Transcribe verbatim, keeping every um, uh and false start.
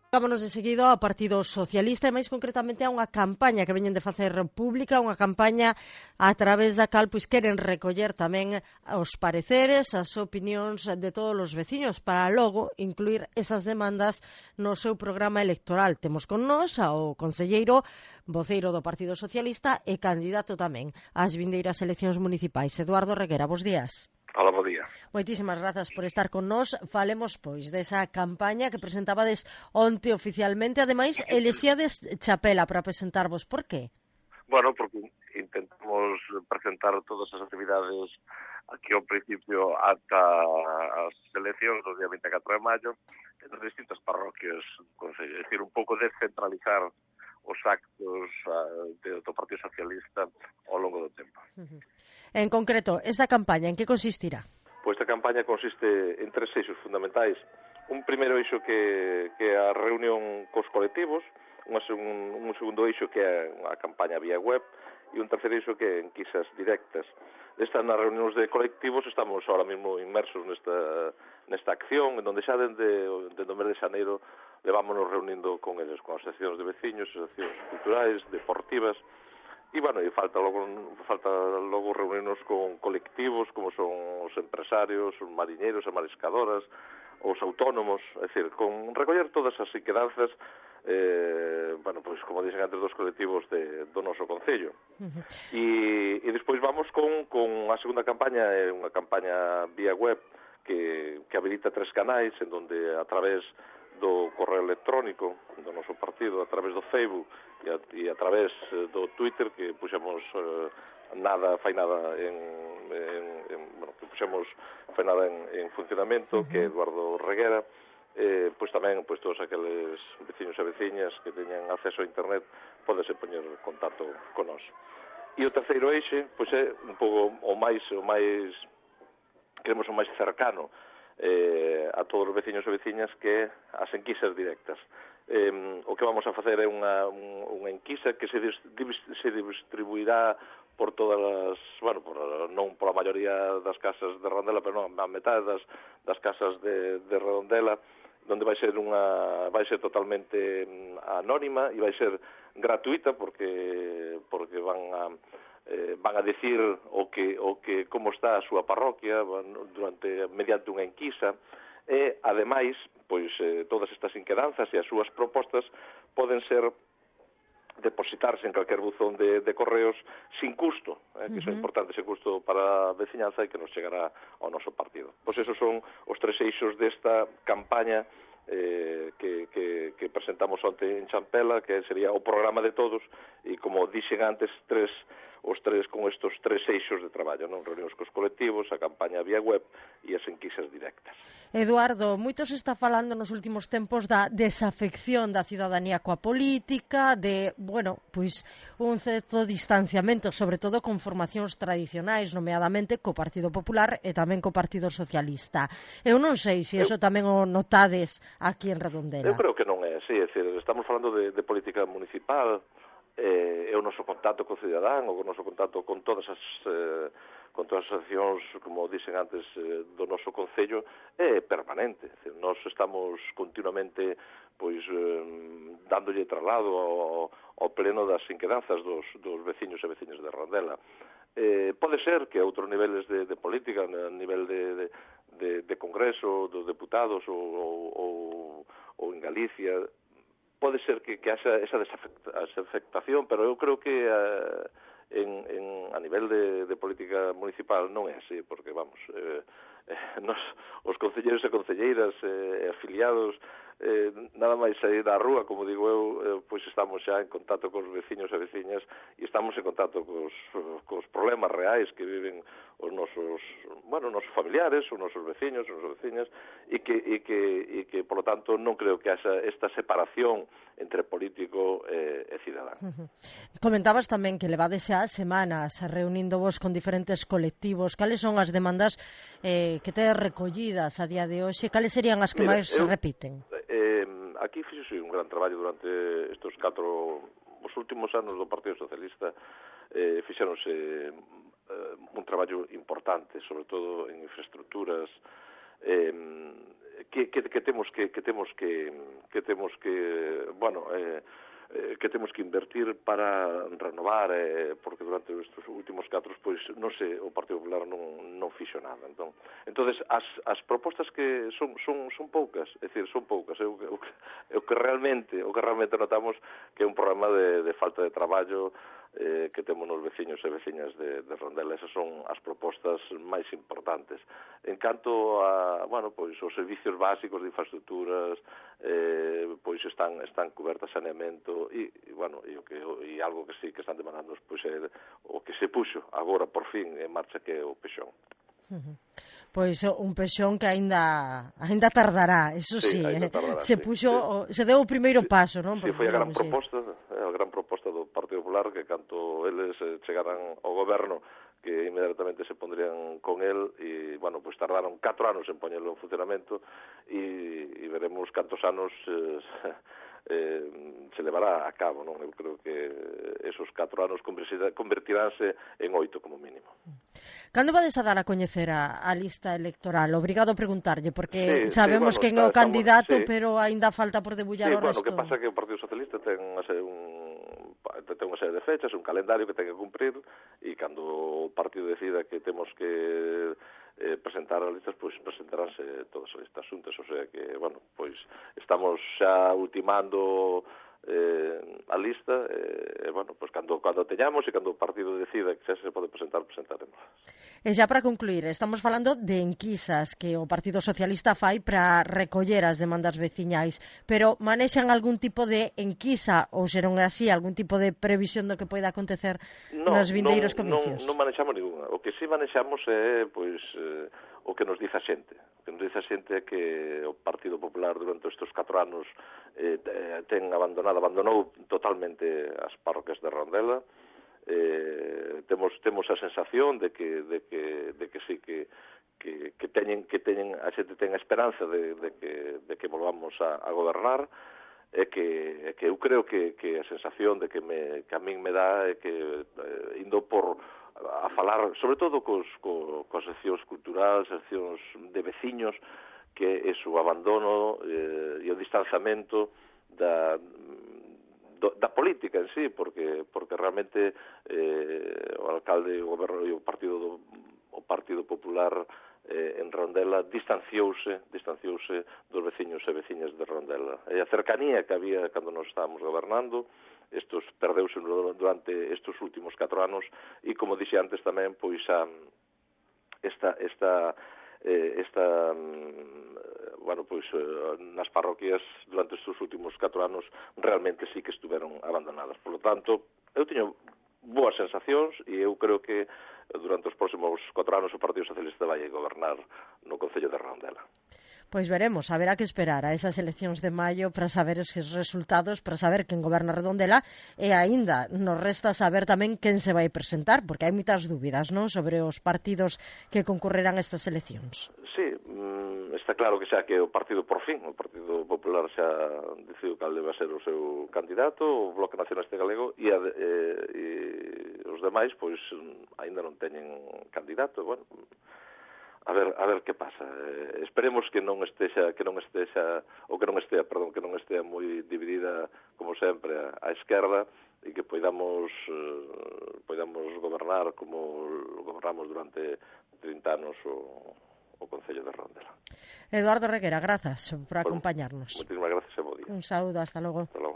Vámonos de seguido ao Partido Socialista e máis concretamente a unha campaña que veñen de facer pública, unha campaña a través da cal pois queren recoller tamén os pareceres, as opinións de todos os veciños para logo incluir esas demandas no seu programa electoral. Temos con nós ao concelleiro, voceiro do Partido Socialista e candidato tamén ás vindeiras eleccións municipais, Eduardo Reguera. Bos días. Hola, bo día. Moitísimas grazas por estar con nós. Falemos, pois, desa campaña que presentabades onte oficialmente. Ademais, elexíades chapela para presentarvos. Por qué? Bueno, porque intentamos presentar todas as actividades aquí ao principio ata as eleccións do día vinte e catro de maio en distintas parroquias do Concello. É dicir, un pouco descentralizar os actos uh, do Partido Socialista ao longo do tempo. Uh-huh. En concreto, esta campaña, en que consistirá? Pois esta campaña consiste en tres eixos fundamentais. Un primeiro eixo que, que é a reunión cos colectivos, un, un segundo eixo que é a campaña vía web e un terceiro eixo que é enquisas directas. Estas nas reunións de colectivos estamos ahora mesmo inmersos nesta, nesta acción, en donde xa dende, dende o mes de xaneiro levámonos reunindo con eles, con asociacións de veciños, asociacións culturais, deportivas. E, bueno, e falta logo, falta logo reunirnos con colectivos como son os empresarios, os mariñeiros, as mariscadoras, os autónomos, é dicir, con recoller todas as inquedanzas, eh, bueno, pois, como dixen antes, dos colectivos de, do noso Concello. Uh-huh. E, e despois vamos con, con a segunda campaña, é unha campaña vía web que, que habilita tres canais, en donde a través do correo electrónico do noso partido, a través do Facebook e a, e a través do Twitter, que puxemos eh, nada, fai nada en, en, en bueno, que puxemos fai nada en, en funcionamento, uh-huh. que é Eduardo Reguera, eh, pois tamén pois todos aqueles veciños e veciñas que teñan acceso a internet pódese poñer en contacto con nós. E o terceiro eixe, pois é un pouco o máis o máis queremos o máis cercano Eh, a todos os veciños e veciñas, que as enquisas directas. Eh, o que vamos a facer é unha, unha enquisa que se, dis, se distribuirá por todas as, bueno, por, non pola maioría das casas de Redondela, pero non, a metade das, das casas de, de Redondela, donde vai ser unha vai ser totalmente anónima e vai ser gratuita porque porque van a Eh, van a decir o que o que como está a súa parroquia durante mediante unha enquisa e ademais pois eh, todas estas inquedanzas e as súas propostas poden ser depositarse en calquer buzón de, de correos sin custo, eh, que uh-huh. son importantes sin custo para a veciñanza e que nos chegará ao noso partido. Pois esos son os tres eixos desta campaña eh, que, que, que presentamos onte en Champela, que sería o programa de todos e, como dixen antes, tres os tres con estos tres eixos de traballo, non? Reunións cos colectivos, a campaña vía web e as enquisas directas. Eduardo, moito se está falando nos últimos tempos da desafección da cidadanía coa política, de, bueno, pois un certo distanciamento, sobre todo con formacións tradicionais, nomeadamente co Partido Popular e tamén co Partido Socialista. Eu non sei se iso tamén o notades aquí en Redondela. Eu creo que non é así, é dicir, estamos falando de, de política municipal, eh, é o noso contacto co cidadán, o noso contacto con todas as eh, con todas as accións, como dixen antes, eh, do noso Concello, é permanente. É dicir, nós estamos continuamente pois eh, dándolle traslado ao, ao pleno das inquedanzas dos, dos veciños e veciñas de Redondela. Eh, pode ser que a outros niveles de, de política, a nivel de, de, de, de Congreso, dos deputados ou, ou, ou en Galicia, pode ser que, que haxa esa desafectación, pero eu creo que uh, en, en, a nivel de, de política municipal non é así, porque, vamos, eh, eh, nos, os concelleiros e concelleiras eh, afiliados, eh, nada máis sair da rúa, como digo eu, eh, pois estamos xa en contacto cos veciños e veciñas e estamos en contacto cos, cos problemas reais que viven os nosos, bueno, os nosos familiares, os nosos veciños, os nosos veciñas, e que, e que, e que, por lo tanto, non creo que haxa esta separación entre político e, e cidadán. Uh-huh. Comentabas tamén que levades xa semanas reunindovos con diferentes colectivos. Cales son as demandas eh, que tedes recollidas a día de hoxe? Cales serían as que Mira, máis eu, se repiten? Eh, aquí fixose un gran traballo durante estes catro, os últimos anos do Partido Socialista, eh, fixeronse eh, un traballo importante, sobre todo en infraestructuras, eh, que, que, que temos que que temos que que temos que, bueno, eh, eh, que temos que invertir para renovar, eh, porque durante estes últimos catro, pois, non sei, o Partido Popular non, non fixo nada. Entón, entonces as, as propostas que son, son, son poucas, é dicir, son poucas. É o, o, o que realmente o que realmente notamos que é un problema de, de falta de traballo eh, que temos nos veciños e veciñas de, de Rondela. Esas son as propostas máis importantes. En canto a, bueno, pois, os servicios básicos de infraestructuras, eh, pois están están cubertas, saneamento e, e bueno, e o que e algo que sí que están demandando, pois é o que se puxo agora por fin en marcha, que é o pexón. Uh-huh. Pois un pexón que aínda aínda tardará, eso sí, sí eh? tardará, se puxo, sí. Se deu o primeiro sí, paso, non? Si, sí, foi a gran proposta, a gran proposta do Partido Popular, que canto eles chegaran ao goberno, que inmediatamente se pondrían con el, e, bueno, pues tardaron catro anos en poñelo en funcionamento, e, e veremos cantos anos eh, eh, se levará a cabo, non? Eu creo que esos catro anos convertiránse en oito como mínimo. Cando vades a dar a coñecer a, a lista electoral? Obrigado a preguntarlle, porque sí, sabemos sí, bueno, quen é o estamos, candidato, sí. pero aínda falta por debullar sí, o bueno, resto. O que pasa é que o Partido Socialista ten unha serie, un, ten unha serie de fechas, un calendario que ten que cumprir, e cando o partido decida que temos que eh, presentar as listas, pois presentaránse todas as listas xuntas, o sea que, bueno, pois estamos xa ultimando eh, a lista, e, eh, bueno, pois cando, cando teñamos e cando o partido decida que xa se pode presentar, presentaremos. E xa para concluir, estamos falando de enquisas que o Partido Socialista fai para recoller as demandas veciñais, pero manexan algún tipo de enquisa, ou se non é así, algún tipo de previsión do que poida acontecer no, nos vindeiros non, comicios? Non, non manexamos ninguna. O que sí manexamos é, pois, eh, o que nos dice a xente. O que nos dice a xente é que o Partido Popular durante estes catro anos eh, ten abandonado, abandonou totalmente as parroquias de Rondela. Eh, temos temos a sensación de que de que de que sí que que que teñen que teñen a xente ten a esperanza de de que de que volvamos a, a gobernar, é que é que eu creo que que a sensación de que me que a min me dá é que eh, indo por a falar sobre todo cos co, cos seccións culturais, seccións de veciños, que é o abandono eh, e o distanciamento da Do, da política en sí, porque porque realmente eh, o alcalde, o goberno e o partido do, o Partido Popular eh, en Rondela distanciouse, distanciouse dos veciños e veciñas de Rondela. E a cercanía que había cando nos estábamos gobernando, estos perdeuse durante estes últimos catro anos, e como dixe antes tamén, pois a esta esta eh, esta bueno, pois nas parroquias durante estes últimos catro anos realmente sí que estuveron abandonadas. Por lo tanto, eu teño boas sensacións e eu creo que durante os próximos catro anos o Partido Socialista vai gobernar no Concello de Rondela. Pois veremos, haberá que esperar a esas eleccións de maio para saber os resultados, para saber quen goberna Redondela, e aínda nos resta saber tamén quen se vai presentar, porque hai moitas dúbidas, non, sobre os partidos que concorrerán a estas eleccións. Sí, está claro que xa que o partido, por fin, o Partido Popular xa decidiu cal debe ser o seu candidato, o Bloque Nacionalista Galego, e, a, e, e os demais, pois, aínda non teñen candidato, bueno. A ver, a ver que pasa. Eh, esperemos que non estexa, que non estexa, ou que non estea, perdón, que non estea moi dividida como sempre a, a esquerda, e que poidamos eh, poidamos gobernar como gobernamos durante trinta anos o, o Concello de Rondela. Eduardo Reguera, grazas por acompañarnos. Bueno, moitísimas gracias e bo día. Un saúdo, hasta logo. Hasta logo.